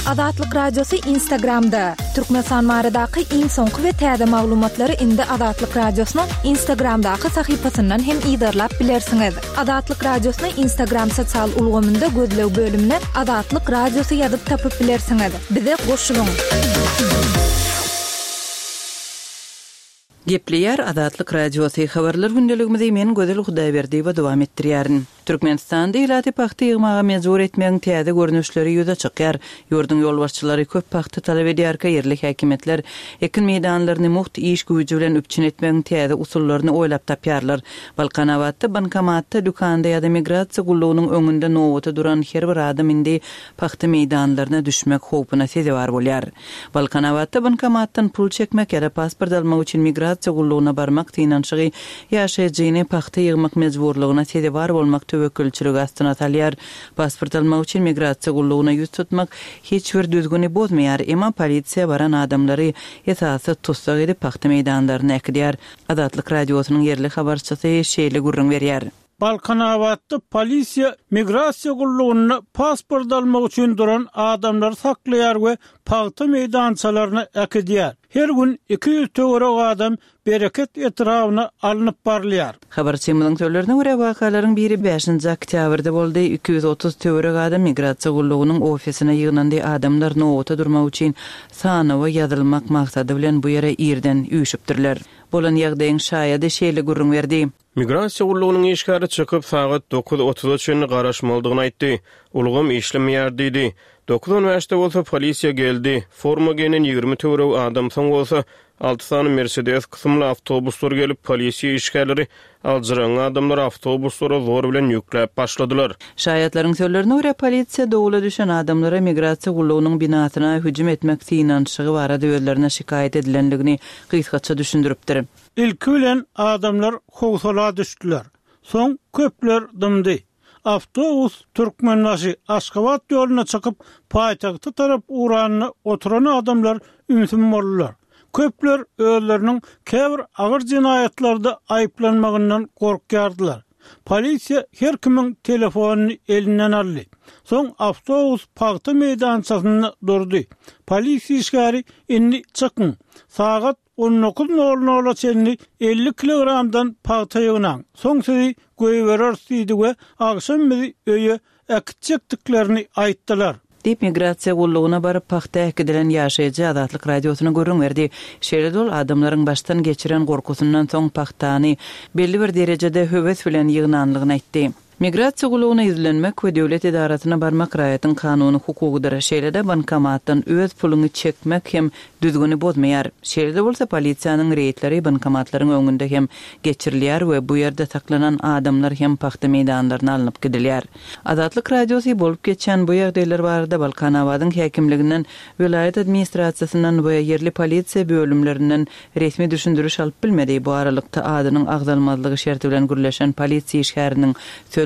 Azatlyk Radiosy Instagramda! Türkmenistan baradaky iň soňky we täze maglumatlary indi Azatlyk Radiosynyň Instagramdaky sahypasyndan hem yzarlap bilersiňiz. Azatlyk Radiosyny Instagram sosial ulgamynda gözleg bölümine Azatlyk Radiosy ýazyp tapyp bilersiňiz. Bize goşulyň! Gepleýär Azatlyk Radiosy, Habarlar gündeligimizi men Gözel Hudaýberdiýewa dowam etdirýärin. Türkmenistanda ilaty pagta ýygmaga mejbur etmegiň täze görnüşleri ýüze çykýar. Ýurduň ýolbaşçylary köp pagta talap edýärkä ýerli häkimiýetler ekin meýdanlaryny mugt iş güýji bilen üpjün etmegiň täze usullaryny oýlap tapýarlar. Balkanabatda bankomatda, dükanda ýa-da migrasiýa gullugynyň öňünde nobata duran her bir adam indi pagta meýdanlaryna düşmek howpuna sezewar bolýar. Balkanabatda bankomatdan pul çekmek ýa-da pasport almak üçin migrasiýa gullugyna barmak synanyşygy ýaşaýjyny pagta ýygmak mejburlygyna sezewar bolmak töwekgelçiligi astyna salýar. Pasport almak üçin migrasiýa gullugyna ýüz tutmak hiç bir düzgüni bozmaýar, emma polisiýa baran adamlary esassyz tussag edip pagta meýdanlaryna äkidýär. Azatlyk Radiosynyň ýerli habarçysy şeýle gürrüň berýär. Balkanabatda polisiýa migrasiýa gullugynda pasport almak üçin duran adamlary saklaýar we pagta meýdançalaryna äkidýär. Her gün 200 töweregi adam Bereket etrabyna alnyp barylýar. Habarçymyzyň sözlerine görä, wakalaryň biri bäşinji oktýabrda boldy. 230 töweregi adam migrasiýa gullugynyň ofisine ýygnandy. Adamlar nobata durmak üçin sanawa ýazylmak maksady bilen bu ýere irden üýşüpdirler. Bolan ýagdaýyň şaýady şeýle gürrüň berdi. Migrasiýa gullugynyň işgäri çykyp, sagat dokuz otuza çenli garaşmalydygyny aýtdy. Ulgam işlemeýär diýdi. Dokuz on bäşde bolsa polisiýa geldi. Forma geýnen 20 töweregi adam, soň bolsa alty sany Mersedes kysymly awtobuslar gelip, polisiýa işgärleri aljyraňňy adamlary awtobuslara zor bilen ýükläp başladylar. Şaýatlaryň sözlerine görä, polisiýa dowula düşen adamlara migrasiýa gullugynyň binasyna hüjüm etmek synanyşygy barada özlerine şikaýat edilendigini gysgaça düşündiripdir. Ilki bilen adamlar howsala düşdüler. Soň köpler dymdy. Awtobus Türkmenbaşy, Aşgabat ýoluna çykyp, paýtagta tarap ugranda oturan adamlar ümsüm boldular. Köpler özleriniň käbir agyr jenaýatlarda aýyplanmagyndan gorkýardylar. Polisiýa her kimiň telefonyny elinden aldy. Soň awtobus pagta meýdançasynda durdy. Polisiýa işgäri indi çykyň, sagat On dokuz nol nola çenli 50 kilogramdan pagta ýygnaň, soň sizi goýbereris diýdi we agşam bizi öýe äkitjekdiklerini aýtdylar. Diýip, migrasiýa gullugyna baryp, pagta äkidilen ýaşaýjy Azatlyk Radiosyna gürrüň berdi. Şeýle-de ol adamlaryň başdan geçiren gorkusyndan soň pagtany belli bir derejede höwes bilen ýygnanlygyny aýtdy. Migrasiýa gullugyna ýüzlenmek we döwlet edarasyna barmak raýatyň kanuny hukugydyr. Şeýle-de bankomatdan öz puluňy çekmek hem düzgüni bozmaýar. Şeýle-de bolsa polisiýanyň reýdleri bankomatlaryň öňünde hem geçirilýär we bu ýerde saklanan adamlar hem pagta meýdanlaryna alnyp gidilýär. Azatlyk Radiosy bolup geçýän bu ýagdaýlar barada Balkanabadyň häkimliginden, welaýat administrasiýasyndan we ýerli polisiýa bölümlerinden Resmi düşündiriş alyp bilmedi. Bu aralykda, adynyň agzalmazlygy şerti bilen gürleşen polisiýa işgäriniň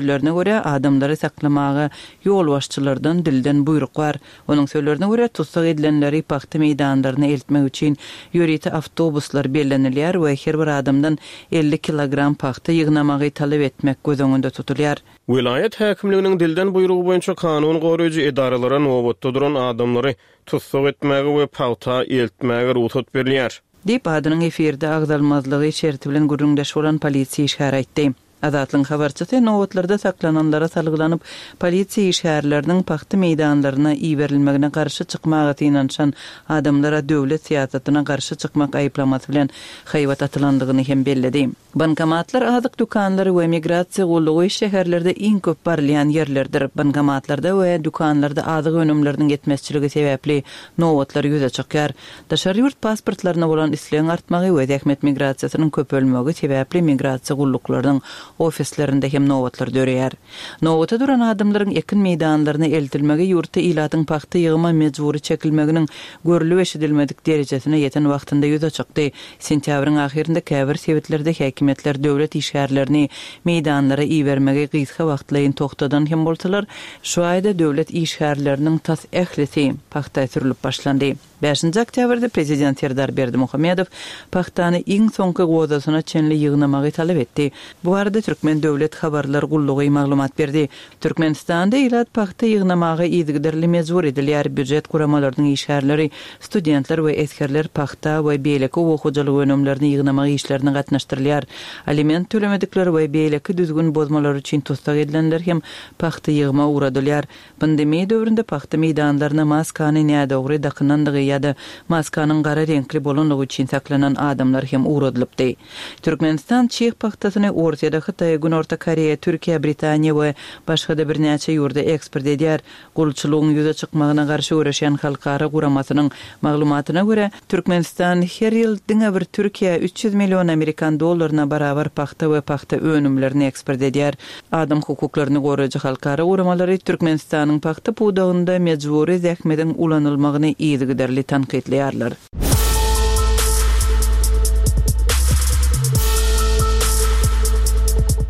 sözlerine görä, adamlary saklamaga ýolbaşçylardan dilden buýruk bar. Onuň sözlerine görä, tussag edilenleri pagta meýdanlaryna eltmek üçin ýörite awtobuslar bellenilýär we her bir adamdan 50 kilogram pagta ýygnamagy talap etmek göz öňünde tutulýar. Welaýat häkimliginiň dilden buýrugy boýunça kanun goraýjy edaralara nobatda duran adamlary tussag etmäge we pagta eltmäge rugsat berilýär. Diýip, adynyň efirde agzalmazlygy şerti bilen gürrüňdeş bolan polisiýa işgäri aýtdy. Azatlygyň habarçysy nobatlarda saklananlara salgylanyp, polisiýa işgärleriniň pagta meýdanlaryna iberilmegine garşy çykmaga synanyşan adamlara döwlet syýasatyna garşy çykmak aýyplamasy bilen haýbat atylandygyny hem belledi. Bankomatlar, azyk dükanlary we migrasiýa gullugy şäherlerde iň köp barylýan ýerlerdir. Bankomatlarda we dükanlarda azyk önümleriniň ýetmezçiligi sebäpli nobatlar ýüze çykýar. Daşary ýurt pasportlaryna bolan islegiň artmagy we zähmet migrasiýasynyň köpelmegi sebäpli migrasiýa gulluklarynyň ofislerinde hem nobatlar döreýär. Nobata duran adamlaryň ekin meýdanlaryna eltilmegi ýurtda ilatyň pagta ýygyma mejbury çekilmeginiň görlüp-eşidilmedik derejesine ýeten wagtynda ýüze çykdy. Sentýabryň ahyrynda käbir sebitlerde häkimiýetler döwlet işgärlerini meýdanlara ibermegi gysga wagtlaýyn togtadan hem bolsalar, şu aýda döwlet işgärleriniň tas ählisi pagta sürlüp başlandy. Bäşinji oktýabrda prezident Serdar Berdimuhamedow pagtany iň soňky gozasyna çenli ýygnamagy talap etdi. Bu barada Türkmen döwlet habarlar gullugy maglumat berdi. Türkmenistanda ilat pagta ýygnamaga yzygiderli mejbur edilýär, býujet guramalarynyň işgärleri, studentler we esgerler pagta we beýleki oba hojalyk önümlerini ýygnamak işlerine gatnaşdyrylýar. Aliment tölemedikler we beýleki düzgün bozmalary üçin tussag edilenler hem pagta ýygyma ugradylýar. Pandemiýa döwründe pagta meýdanlaryna maskany nädogry dakynandygy ýa-da maskanyň gara reňkli bolanlygy üçin saklanan adamlar hem ugradylypdy. Türkmenistan çig pagtasyny Orsýede, Hytaýa, Günorta Koreýa, Türkiýä, Britaniýa we başga-da birnäçe ýurda eksport edýär. Gulçulygyň ýüze çykmagyna garşy göreşýän halkara guramasynyň maglumatyna görä, Türkmenistan her ýyl diňe bir Türkiýä 300 million amerikan dollaryna barabar pagta we pagta önümlerini eksport edýär. Adam hukuklaryny goraýjy halkara guramalary Türkmenistanyň pagta pudagynda mejbury zähmediň ulanylmagyny yzygiderli tankytlaýarlar.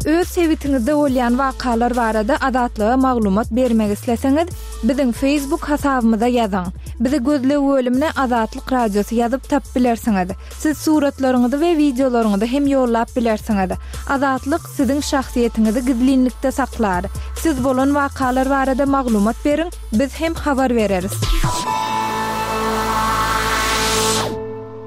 Öz sebitiňizde bolýan wakalar barada Azatlyga maglumat bermek isleseňiz, biziň Facebook hasabymyza ýazyň. Bizi gözleg bölümine Azatlyk Radiosy ýazyp tapyp bilersiňiz. Siz suratlaryňyzy we wideolaryňyzy hem ýollap bilersiňiz. Azatlyk siziň şahsyýetiňizi gizlinlikde saklar. Siz bolan wakalar barada maglumat beriň, biz hem habar bereris.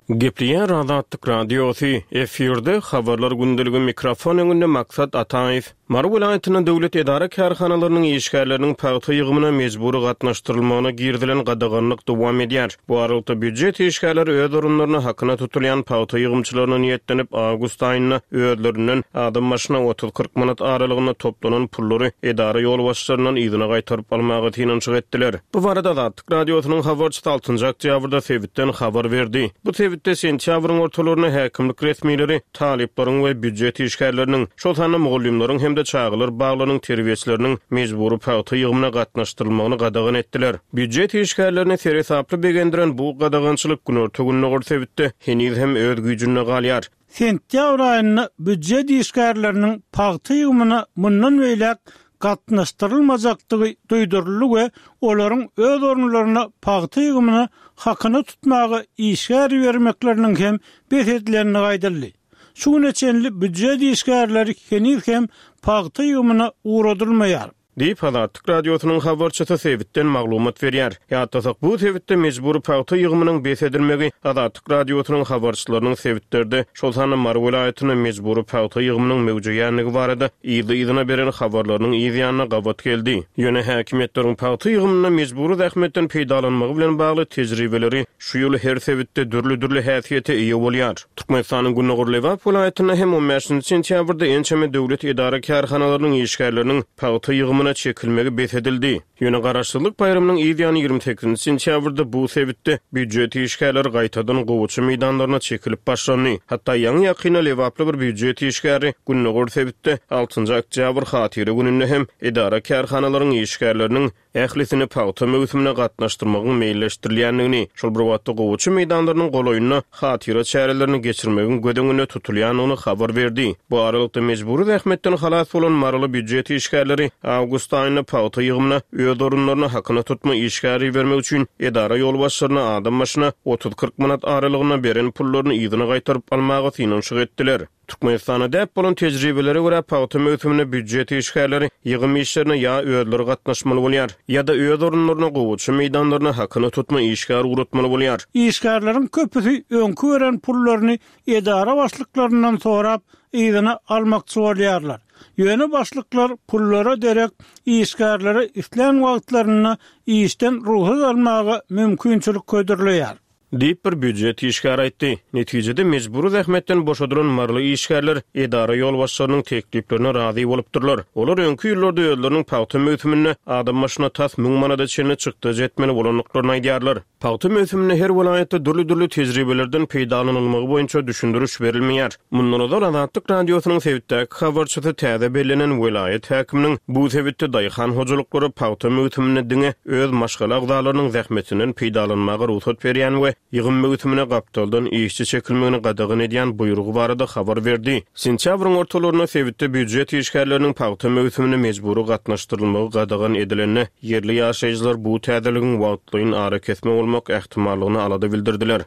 Gepleýär Azatlyk Radiosy, efirde Habarlar gündeligi mikrofon öňünde Maksat Ataýew. Mary welaýatynda döwlet edara-kärhanalarynyň işgärleriniň pagta ýygymyna mejbury gatnaşdyrylmagyna girizilen gadaganlyk dowam edýär. Bu aralykda, býujet işgärleri öz orunlaryna hakyna tutulýan pagta ýygymçylaryna niýetlenip, awgust aýynda özlerinden adam başyna otuz-kyrk manat aralygynda toplanan pullary edara ýolbaşçylaryndan yzyna gaýtaryp almaga synanyşyk etdiler. Bu barada Azatlyk Radiosynyň habarçysy altynjy oktýabrda sebitden habar berdi. Bu sebitde sentýabryň ortalarynda häkimlik resmileri talyplaryň we býujet işgärleriniň, şol sanda mugallymlaryň hem-de çagalar baglarynyň terbiýeçileriniň mejbury pagta ýygymyna gatnaşdyrylmagyny gadagan etdiler. Býujet işgärlerini seresaply begendiren bu gadagançylyk günorta-gündogar sebitde heniz hem öz güýjünde galýar. Sentýabr aýynda býujet işgärleriniň pagta ýygymyna mundan beýläk gatnaşdyrylmajakdygy duýduryldy we olaryň öz orunlaryna pagta ýygymyna hakyna tutmaga işgär ibermekleriniň hem bes edilendigi aýdyldy. Şu güne çenli býujet işgärleri heniz hem pagta ýygymyna ugradylmaýar. Diýip, Azatlyk Radiosynyň habarçysy sebitden maglumat berýär. Ýatlasak, bu sebitde mejbury pagta ýygymynyň bes edilmegi Azatlyk Radiosynyň habarçylarynyň sebitlerde, şol sanda Mary welaýatynda mejbury pagta ýygymynyň möwjeýändigi barada yzly-yzyna beren habarlarynyň yz ýanyna gabat geldi. Ýöne häkimiýetleriň pagta ýygymynda mejbury zähmetden peýdalanmagy bilen bagly tejribeleri şu ýyl her sebitde dürli-dürli häsiýete eýe bolýar. Türkmenistanyň gündogar Lebap welaýatynda hem on bäşinji sentýabrda ençeme döwlet edara-kärhanalarynyň işgärleriniň pagta ýygymyna çekilmegi bes edildi. Ýöne Garaşsyzlyk baýramynyň yz ýany 28-nji sentýabrda bu sebitde býujet işgärleri gaýtadan gowaça meýdanlaryna çekilip başlandy. Hatda ýaňy-ýakynda lebaply bir býujet işgäri gündogar sebitde altynjy oktýabr Hatyra gününde hem edara-kärhanalaryň işgärleriniň ählisini pagta möwsümine gatnaşdyrmagyň meýilleşdirilýändigini, şol bir wagtda gowaça meýdanlarynyň golaýynda hatyra çärelerini geçirmegiň göz öňünde tutulýandygyny habar berdi. Bu aralykda, mejbury zähmetden halas bolan maryly býujet işgärleri awgust aýynda pagta ýygymyna öz orunlaryna hakyna tutma işgär ibermek üçin edara ýolbaşçylaryna adam başyna otuz-kyrk manat aralygynda beren pullaryny yzyna gaýtaryp almaga synanyşyk etdiler. Türkmenistanda däp bolan tejribelere görä, pagta möwsüminde býujet işgärleri ýygym işlerine ýa özleri gatnaşmaly bolýar, ýa-da öz orunlaryna gowaça meýdanlaryna hakyna tutma işgär ugratmaly bolýar. Işgärleriň köpüsi öňki beren pullaryny edara başlyklaryndan sorap, yzyna almakçy bolýarlar. Ýöne başlyklar pullara derek işgärlere islän wagtlarynda işden rugsat almaga mümkinçilik hödürleýär. Diýip, bir býujet işgäri aýtdy. Netijede, mejbury zähmetden boşadylan maryly işgärler edara ýolbaşçylarynyň tekliplerine razy bolupdyrlar. Olar öňki ýyllarda özleriniň pagta möwsüminde adam başyna tas müň manada çenli çykdajy etmeli bolandyklaryny aýdýarlar. Pagta möwsüminde her welaýatda dürli-dürli tejribelerden peýdalanylmagy boýunça düşündiriş berilmeýär. Mundan ozal Azatlyk Radiosynyň sebitdäki habarçysy täze bellenen welaýat häkiminiň bu sebitde daýhan hojalyklara pagta möwsüminde diňe öz maşgala agzalarynyň zähmetinden peýdalanmaga rugsat berýän we. ýygym möwsümine gapdaldan işçi çekilmegini gadagan edýän buýrugy barada habar berdi. Sentýabryň ortalarynda sebitde býujet işgärleriniň pagta möwsümine mejbury gatnaşdyrylmagy gadagan edilende, ýerli ýaşaýjylar bu täzeligiň wagtlaýyn arakesme bolmak ähtimallygyna alada bildirdiler.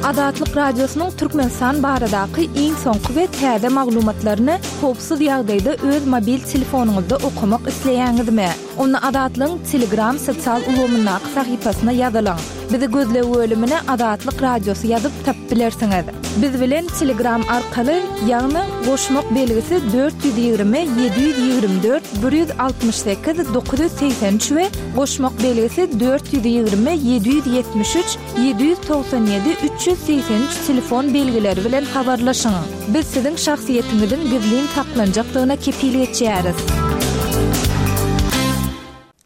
Azatlyk Radiosynyň Türkmenistan baradaky iň soňky we täze maglumatlaryny howpsuz ýagdaýda öz mobil telefonyňyzda okamak isleýäňizmi? Onda Azatlygyň Telegram sosial ulgamyndaky sahypasyna ýazylyň. Bizi gözleg bölümine Azatlyk Radiosy ýazyp tapyp bilersiňiz. Biz bilen Telegram arkaly, ýagny goşmak belgisi 420 724 168 983 we goşmak belgisi 420 773 797 383 telefon belgileri bilen habarlaşyň. Biz siziň şahsyýetiňiziň gizlin saklanjakdygyna kepil geçýäris.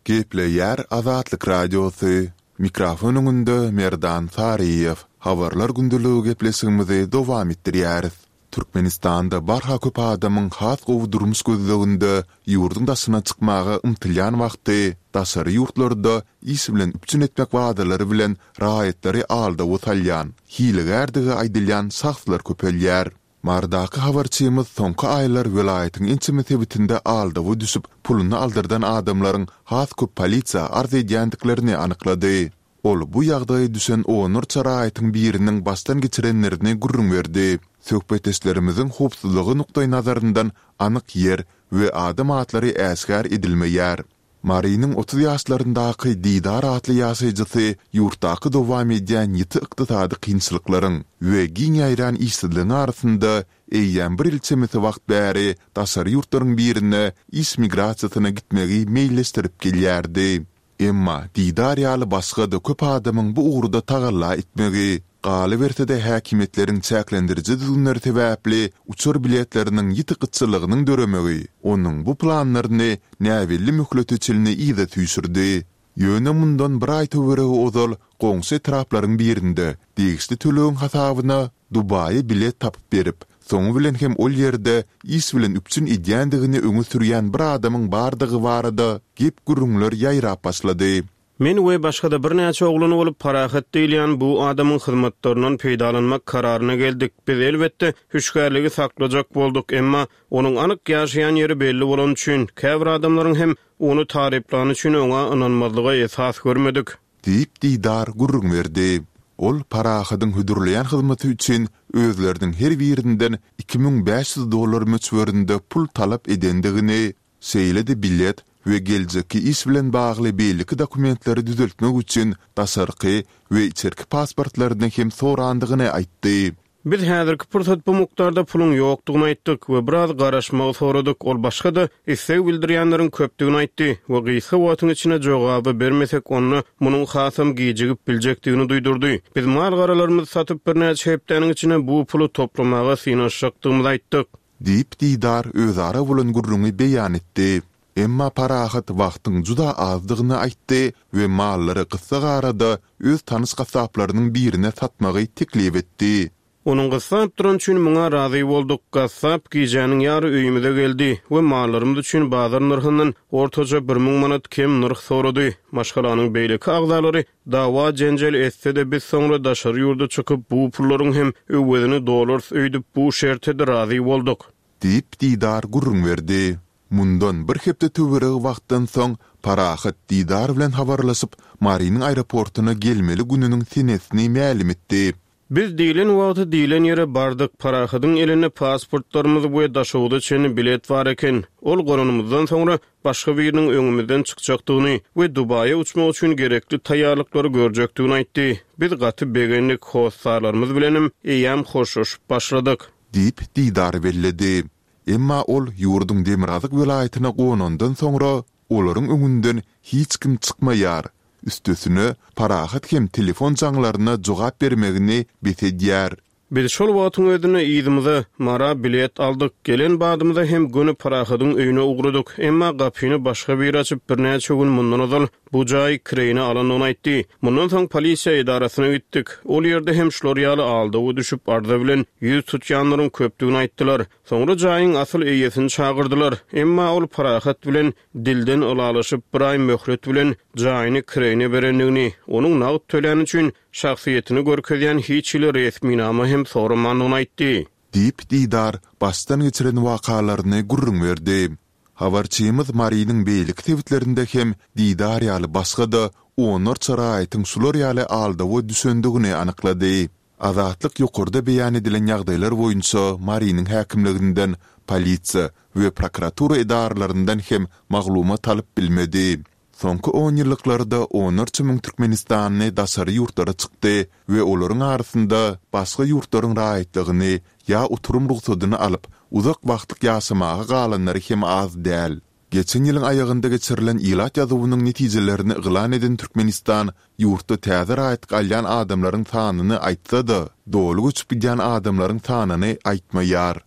Gepleýär Azatlyk Radiosy, Mikrofon öňünde Merdan Saryýew. Habarlar gündeligi gepleşigimizi dowam etdirýäris. Türkmenistanda barha köp adamyň has gowy durmuş gözleginde ýurduň daşyna çykmaga ymtylýan wagty, daşary ýurtlarda iş bilen üpjün etmek wadalary bilen raýatlary aldawa salýan, hilegärdigi aýdylýan şahslar köpelýär. Marydaky habarçymyz soňky aýlar welaýatyň ençeme sebitinde aldawa düşüp, puluny aldyrdan adamlaryň has köp polisiýa arz edýändiklerini anyklady. Ol bu ýagdaýa düşen onlarça raýatyň biriniň başdan geçirenlerini gürrüň berdi. Söhbetdeşlerimiziň howpsuzlygy nukdaýnazaryndan anyk ýer we adam atlary äşgär edilmeýär. Marynyň 30 ýaşlaryndaky Didar atly ýaşaýjysy ýurtdaky dowam edýän ýiti ykdysady kynçylyklaryň we giň ýaýran işsizligiň arasynda eýýäm bir ýyl çemesi wagt bäri daşary ýurtlaryň birine iş migrasiýasyna gitmegi meýilleşdirip gelýärdi. Emma Didar ýaly başga-da köp adamyň bu ugurda tagalla etmegi, galyberse-de häkimiýetleriň çäklendiriji düzgünleri sebäpli uçar biletleriniň ýiti gytçylygynyň döremegi onuň bu planlaryny näbelli möhlete çenli yza süýşürdi. Ýöne mundan bir aý töweregi ozal goňşy etraplaryň birinde degişli tölegiň hasabyna Dubaýa bilet tapyp berip, soňy bilen hem ol ýerde iş bilen üpjün edýändigini öňe sürýän bir adamyň bardygy barada gep-gürrüňler ýaýrap başlady. Men we başga-da birnäçe oglan bolup Parahat diýilýän bu adamyň hyzmatlaryndan peýdalanmak kararyna geldik. Biz, elbetde, hüşgärligi saklajak bolduk, emma onuň anyk ýaşaýan ýeri belli bolany üçin, käbir adamlaryň hem ony taryplany üçin oňa ynanmazlyga esas görmedik. Diýip, Didar gürrüň berdi. Ol Parahadyň hödürleýän hyzmaty üçin özleriniň her birinden 2500 dollar möçberinde pul talap edendigini, şeýle-de bilet we geljekki iş bilen bagly beýleki dokumentleri düzeltmek üçin daşarky we içerki pasportlaryny hem sorandygyny aýtdy. Biz häzirki pursat bu mukdarda puluň ýokdugyny aýtdyk we biraz garaşmagy soradyk. Ol başga-da isleg bildirýänleriň köpdügini aýtdy we gysga wagtyň içinde jogaby bermesek, onda munuň hasam gijigip biljekdigini duýdurdy. Biz mal-garalarymyzy satyp, birnäçe hepdäniň içinde bu puly toplamaga synanyşjakdygymyzy aýtdyk. Diýip, Didar özara bolan gürrüňi beýan etdi. Emma Parahat wagtyň juda azdygyny aýtdy we mallary gyssagarada öz tanyş gassaplarynyň birine satmagy teklip etdi. Onuň gyssap durany üçin muňa razy bolduk. Gassap gijäniň ýary öýümize geldi we mallarymyz üçin bazar nyrhyndan ortaça 1000 manat kem nyrh sorady. Maşgalanyň beýleki agzalary dawa-jenjel etse-de biz soňra daşary ýurda çykyp bu pullaryň hem öwezini dolarys öýdüp bu şerte-de razy bolduk. Diýip, Didar gürrüň berdi. Mundan bir hepde töweregi wagtdan soň Parahat Didar bilen habarlaşyp, Marynyň aeroportuna gelmeli gününiň senesini mälim etdi. Biz diýlen wagty diýlen ýere bardyk. Parahadyň elinde pasportlarymyz we Daşoguza çenli bilet bar eken. Ol gonanymyzdan soňra başga biriniň öňümizden çykjakdygyny we Dubaýa uçmak üçin gerekli taýýarlyklary görjekdigini aýtdy. Biz gaty begendik, hossarlarymyz bilenem eýýäm hoşlaşyp başladyk. Diýip, Didar belledi. Emma ol ýurduň demirgazyk welaýatyna gonandan soňra, olaryň öňünden hiç kim çykmaýar, üstesine, Parahat hem telefon jaňlaryna jogap bermegini bes edýär. Biz şol wagtyň özünde yzymyza, Mara bilet aldyk. Gelen badymyza hem göni Parahadyň öýüne ugradyk. Emma gapyny başga biri açyp, birnäçe gün mundan ozal. Bu jaýy kireýine alandygyny aýtdy. Mundan soň polisiýa edarasyna gitdik. Ol ýerde hem şular ýaly aldawa düşüp arza bilen 100 tutýanlaryň köpdügini aýtdylar. Soňra jaýyň asyl eýesini çagyrdylar. Emma ol Parahat bilen dilden ylalaşyp bir aý möhlet bilen jaýyny kireýine berendigini, onuň nagt töläni üçin şahsyýetini görkezýän hiç hili resminama hem soramandygyny aýtdy. Diýip, Didar başdan geçiren wakalaryny gürrüň berdi. Habarçymyz Marynyň beýleki sebitlerinde hem Didar ýaly başga-da onlarça raýatyň şular ýaly aldawa düşendigini anyklady. Azatlyk ýokarda beýan edilen ýagdaýlar boýunça Marynyň häkimliginden, polisiýa we prokuratura edaralaryndan hem maglumat alyp bilmedi. Soňky onýyllyklarda onlarça müň türkmenistanly daşary ýurtlara çykdy we olaryň arasynda başga ýurtlaryň raýatlygyny ýa oturym rugsadyny alyp, uzak wagtlyk ýaşamaga galanlary hem az däl. Geçen ýylyň aýagynda geçirilen ilat ýazuwynyň netijelerini yglan eden Türkmenistan ýurtda täze raýatlyk alýan adamlaryň sanyny aýtsa-da, doly göçüp gidýän adamlaryň sanyny aýtmaýar.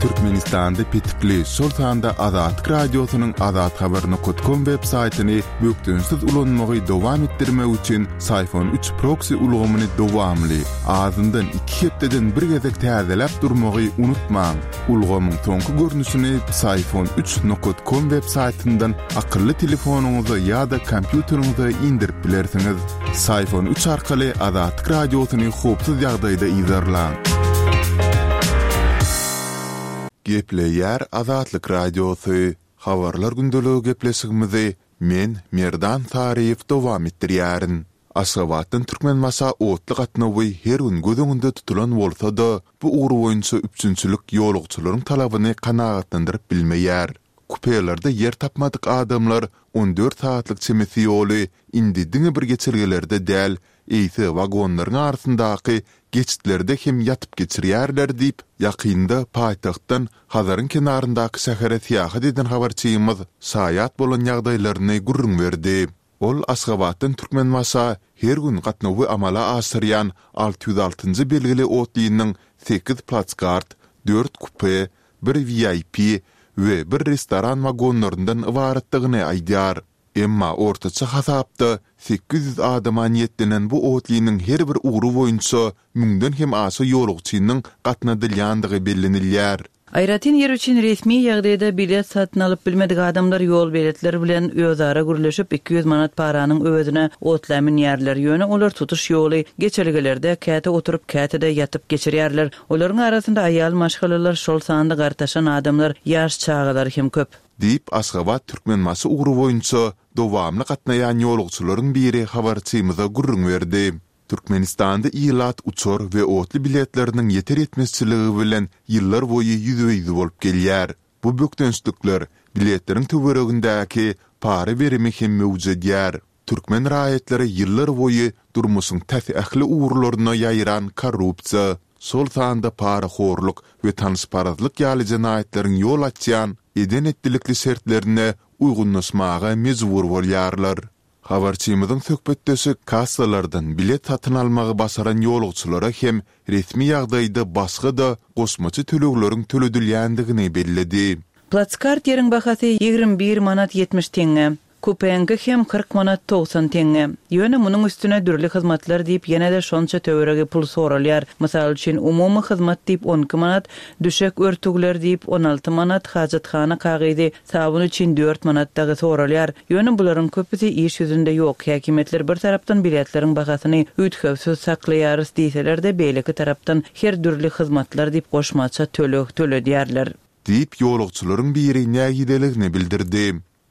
Türkmenistanda petikli, şol sanda Azatlyk Radiosynyň azathabar nokat kom web saýtyny bökdençsiz ulanmagy dowam etdirmek üçin Syfon üç proksi ulgamyny dowamly, azyndan iki hepdeden bir gezek täzeläp durmagy unutmaň. Ulgamyň soňky görnüşini Psiphon üç nokat kom web saýtyndan akylly telefonyňyza ýa-da kompýuteriňize indirip bilersiňiz. Psiphon üç arkaly Azatlyk Radiosyny howpsuz ýagdaýda yzarlaň. Gepleýär Azatlyk Radiosy, Habarlar gündeligi gepleşigimizi men, Merdan Saryýew dowam etdirýärin. Aşgabatdan Türkmenbaşa otly gatnawy her gün göz öňünde tutulan bolsa-da, bu ugur boýunça üpjünçilik ýolagçylaryň talabyny kanagatlandyryp bilmeýär. Kupelerde ýer tapmadyk adamlar 14 sagatlyk çemesi ýoly indi diňe bir geçelgelerde däl, eýse wagonlaryň arasyndaky geçitlerde hem ýatyp geçirýärler diýip, ýakynda paýtagtdan Hazaryň kenaryndaky şähere syýahat eden habarçymyz şaýat bolan ýagdaýlaryny gürrüň berdi. Ol Aşgabatdan Türkmenbaşa her gün gatnawy amala aşyrýan 606 njy belgili otlynyň sekiz plaskart, dört kupe, bir VIP we bir restoran wagonlaryndan ybaratdygyny aýdýar. Emma ortaça hasapda 800 adama niýetlenen bu otlynyň her bir ugry boýunça müňden hem aşa ýolagçynyň gatnadylýandygy bellenilýär. Aýratyn ýer üçin resmi ýagdaýda bilet satyn alyp bilmedik adamlar ýol beletleri bilen özara gürleşip, 200 manat paranyň öwezine otla münýärler. Ýöne olar tutuş ýoly geçelgelerde käte oturyp, käte-de ýatyp geçirýärler. Olaryň arasynda aýal maşgalalar, şol sanda gartaşan adamlar, ýaş çagalar hem köp. Diýip, Aşgabat-Türkmenbaşy ugry boýunça dowamly gatnaýan ýolagçylaryň biri habarçymyza gürrüň berdi. Türkmenistanda ilat uçar we otly biletleriniň ýeter-ýetmezçiligi bilen ýyllar boýy ýüzbe-ýüz bolup gelýär. Bu bökdençlikler biletleriň töweregindäki para-berimi hem möwjedýär. Türkmen raýatlary ýyllar boýy durmuşyň tas ähli ugurlaryna ýaýran korrupsiýa, şol sanda parahorluk we tanyşparazlyk ýaly jenaýatlaryň ýol açýan eden-etdilikli şertlerine uýgunlaşmaga mejbur bolýarlar. Habarçymyzyň söhbetdeşi kassalardan bilet satyn almagy başaran ýolagçylara hem resmi ýagdaýda başga-da goşmaça tölegleriň töledilýändigini belledi. Platskart ýeriň bahasy 21 manat 70 teňňe. Kupeňki hem 40 manat 90 teňňe. Ýöne munuň üstüne dürli hyzmatlar diýip ýene-de şonça töweregi pul soralýar. Mysal üçin, umumy hyzmat diýip 12 manat, düşek örtügler diýip 16 manat, hajathana kagyzy, Sabyn üçin dört manat dagy soralýar. Ýöne bularyň köpüsi iş ýüzünde ýok. Häkimiýetler bir tarapdan biletleriň bahasyny üýtgewsiz saklaýarys diýseler-de, beýleki tarapdan her dürli hyzmatlar diýip goşmaça töleg töledýärler. Diýip, ýolagçylaryň biri nägileligini bildirdi.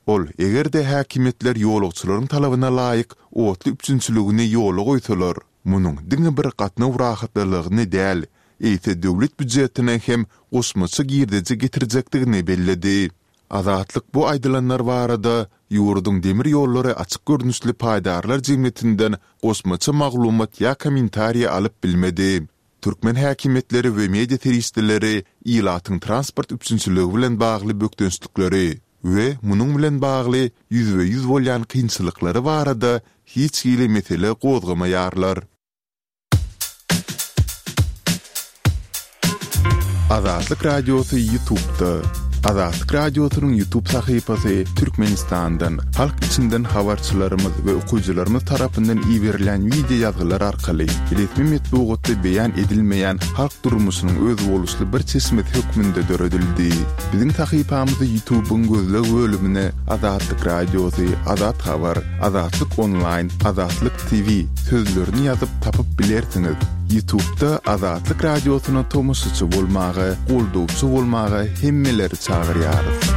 Ol, eger-de häkimiýetler ýolagçylaryň talabyna laýyk otly üpjünçiligini ýola goýsalar, munuň diňe bir gatnaw rahatlylygyny däl, eýse döwlet býujetine hem goşmaça girdeji getirjekdigini belledi. Azatlyk bu aýdylanlar barada ýurduň Demir ýollary açyk görnüşli paýdarlar jemgyýetinden goşmaça maglumat ýa kommentariý alyp bilmedi. Türkmen häkimiýetleri we media serişdeleri ilatyň transport üpjünçiligi bilen bagly bökdençlikleri we munuň bilen bagly ýüzbe-ýüz bolýan kynçylyklary barada hiç hili mesele gozgamaýarlar. Azatlyk Radiosy YouTube'da. Azatlyk Radiosynyň YouTube sahypasy Türkmenistandan, halk içinden habarçylarymyz we okyjylarymyz tarapyndan iberilýän wideo ýazgylar arkaly resmi metbugatda beýan edilmeýän halk durmuşynyň özboluşly bir çeşmesi hökmünde döredildi. Biziň sahypamyzy YouTube-yň gözleg bölümine Azatlyk Radiosy, Azat Habar, Azatlyk Onlaýn, Azatlyk TV sözlerini ýazyp tapyp bilersiňiz. Ýutubda Azatlyk Radiosyna tomaşaçy bolmaga, goldawçy bolmaga hemmeleri çagyrýarys.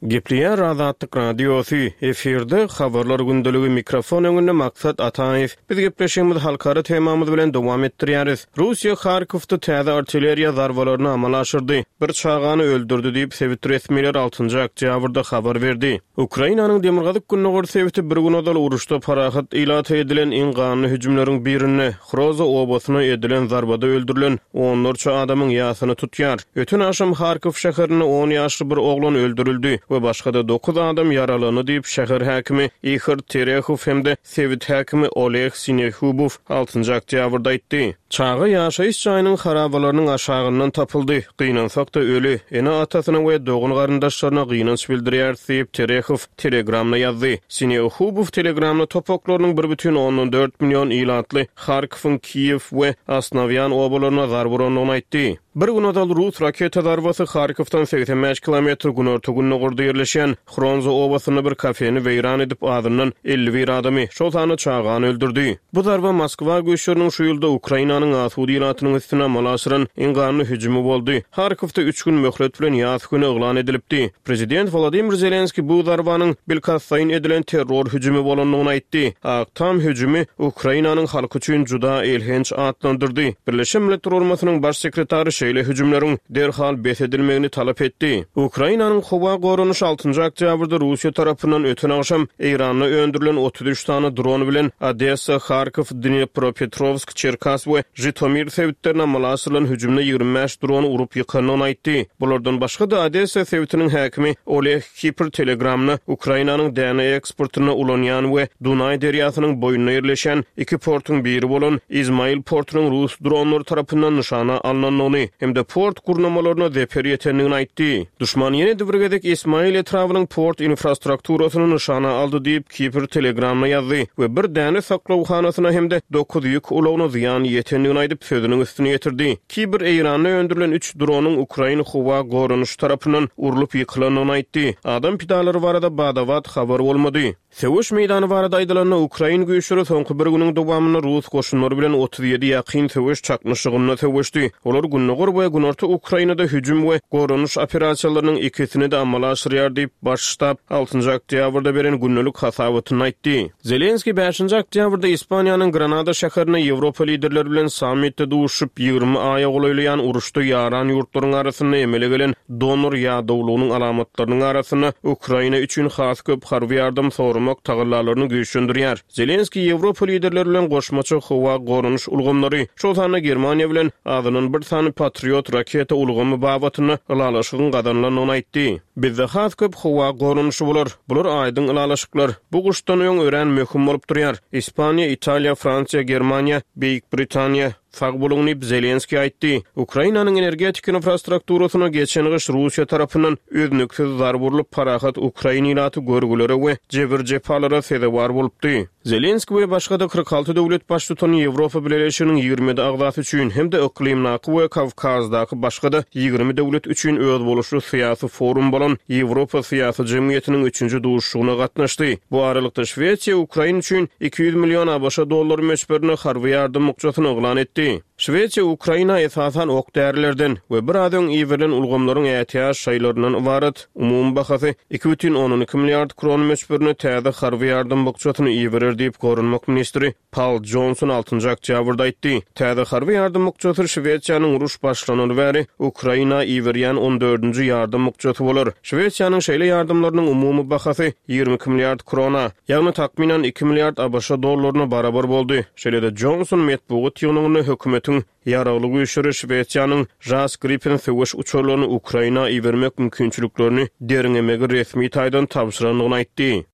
Gepleýär Azatlyk Radiosy, efirde Habarlar gündeligi, mikrofon öňünde Maksat Ataýew. Biz gepleşigimizi halkara temamyz bilen dowam etdirýäris. Russiýa Harkowda täze artilleriýa zarbalaryny amala aşyrdy, bir çagany öldürdi diýip, sebit resmileri altynjy oktýabrda habar berdi. Ukrainanyň demirgazyk-gündogar sebiti bir gün ozal uruşda parahat ilata edilen iň ganly hüjümleriň birinde, Hroza obasyna edilen zarbada öldürilen onlarça adamyň ýasyny tutýar. Öten agşam Harkow şäherinde on ýaşly bir oglan öldürildi we başga-da dokuz adam ýaralandy diýip, şäher häkimi Ihor Terehow hem-de sebit häkimi Oleg Sinehubow altynjy oktýabrda aýtdy. Çaga ýaşaýyş jaýynyň harabalarynyň aşagyndan tapyldy. Gynansak-da, öli. Ene-atasyna we dogan-garyndaşlaryna gynanç bildirýäris diýip, Terehow Telegramda ýazdy. Sinehubow Telegramda topaklarynyň bir bütin ondan dört million ilatly Harkowyň Kiýew we Osnowýan obalaryna zarba urandygyny aýtdy. Bir gün ozal rus raketa zarbasy Harkowdan 85 kilometr günorta-gündogarda ýerleşýän Hronza obasynda bir kafeni weýran edip, azyndan 51 adamy, şol sanda çagany öldürdi. Bu zarba Moskwa güýçleriniň şu ýylda Ukrainanyň asuda ilatynyň üstüne amala aşyran iň ganly hüjümi boldy. Harkowda üç gün möhlet bilen ýas güni yglan edilipdi. Prezident Wolodymyr Zelenskiý bu zarbanyň bilkastlaýyn edilen terror hüjümi bolandygyny aýtdy. Ak Tam hüjümi Ukrainanyň halky üçin juda elhenç atlandyrdy. Birleşen Milletler Guramasynyň Baş sekretary şeýle hüjümleriň derhal bes edilmegini talap etdi. Ukrainanyň howa goranyşy altynjy oktýabrda Russiýa tarapyndan öten agşam Eýranda öndürilen 33 sany dron bilen Odessa, Harkow, Dnepropetrowsk, Çerkas we Žitomir sebitlerine amala aşyrylan hüjümde 25 drony urup ýykandygyny aýtdy. Bulardan başga-da, Odessa sebitiniň häkimi Oleg Kipr Telegramda Ukrainanyň däne eksportynda ulanýan we Dunaý derýasynyň boýunda ýerleşýän iki portuň biri bolan Izmail portunyň rus dronlary tarapyndan nyşana alnandygyny hem-de port gurnamalaryna zeper ýetendigini aýtdy. Duşman ýene-de bir gezek Ismail etrabynyň port infrastrukturasyny nyşana aldy diýip, Kipr Telegramda ýazdy we bir däne saklawhanasyna hem-de dokuz ýük ulagyna zyýan ýetendigini aýdyp, sözüniň üstüni ýetirdi. Kibir Eýranda öndürilen üç dronyň ukrain howa goranyşy tarapyndan urlup ýykylandygyny aýtdy. Adam pidalary barada bada-bat habar bolmady. Söweş meýdany barada aýdylanda, ukrain güýçleri soňky bir günüň dowamynda rus goşunlary bilen 37 ýakyn söweş çaknyşygynda söweşdi. Olar gündogar we günorta Ukrainada hüjüm we goranyş operasiýalarynyň ikisini-de amala aşyrýar diýip, Baş ştab altynjy oktýabrda beren gündelik hasabatynda aýtdy. Zelenskiý bäşinji oktýabrda Ispaniýanyň Granada şäherinde Ýewropa liderleri bilen sammitde duşuşyp, 20 aýa golaýlaýan uruşda ýaran ýurtlaryň arasynda emele gelen donor ýadawlygynyň alamatlarynyň arasynda Ukraina üçin has köp harby ýardam soramak tagallalaryny güýçlendirýär. Zelenskiý Ýewropa liderleri bilen goşmaça howa goranyş ulgamlary, şol sanda Germaniýa bilen azyndan bir sany Patriot raketa ulgamy babatynda ylalaşygyň gazanylandygyny aýtdy. Bizde has köp howa goranyşy bolar. Bular aýdyň ylalaşyklar. Bu gyşdan öň örän möhüm bolup durýar. Ispaniýa, Italiýa, Fransiýa, Germaniýa, Beýik Britaniýa, sag boluň diýip, Zelenskiý aýtdy. Ukrainanyň energetika infrastrukturasyna geçen gyş Russiýa tarapyndan üznüksiz zarba urlup, parahat ukrain ilaty görgülere we jebir-jepalara sezewar bolupdy. Zelenskiý we başga-da 46 döwlet baştutany Ýewropa Bileleşiginiň 27 agzasy üçin hem-de yklymdaky we Kawkazdaky başga-da 20 döwlet üçin özboluşly syýasy forum bolan Ýewropa syýasy jemgyýetiniň üçünji duşuşygyna gatnaşdy. Bu aralykda, Şwesiýa Ukraina üçin 200 million ABŞ dollary möçberinde harby ýardam bukjasyny yglan etdi. Şwesiýa Ukraina esasan ok-därilerden we biraz öň iberilen ulgamlaryň ätiýaç şaýlaryndan ybarat Umumy bahasy 2,2 milliard kron möçberinde täze harby ýardam bukjasyny iberer diýip, goranmak ministri Pal Jonson altynjy oktýabrda aýtdy. Täze harby ýardam bukjasy Şwesiýanyň uruş başlanaly bäri Ukraina iberýän on dördünji ýardam bukjasy bolar. Şwesiýanyň şeýle ýardamlarynyň umumy bahasy 22 milliard krona, ýagny takmynan iki milliard ABŞ dollaryna barabar boldy. Şeýle-de Jonson metbugat ýygnagynda hökümetiň Ýaragly güýçleri Şwesiýanyň Jas Gripen söweş uçarlaryny Ukraina ibermek mümkinçiliklerini derňemegi resmi taýdan tabşyrandygyny aýtdy.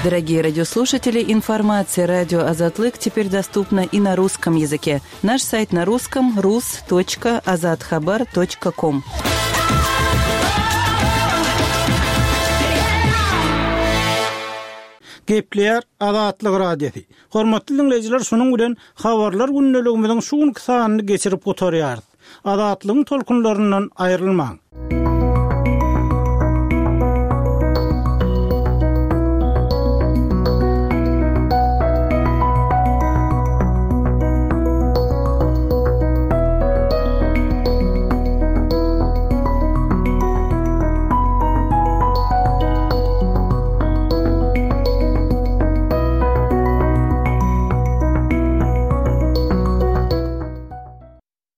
Дорогие радиослушатели, информация радио Азатлык теперь доступна и на русском языке. Наш сайт на русском rus.azathabar.com. Gepleýär Azatlyk Radiosy. Hormatly diňleýjiler, şunuň bilen Habarlar gündeligimiziň şu günki sanyny geçirip gutarýarys. Azatlygyň tolkunlaryndan aýrylmaň!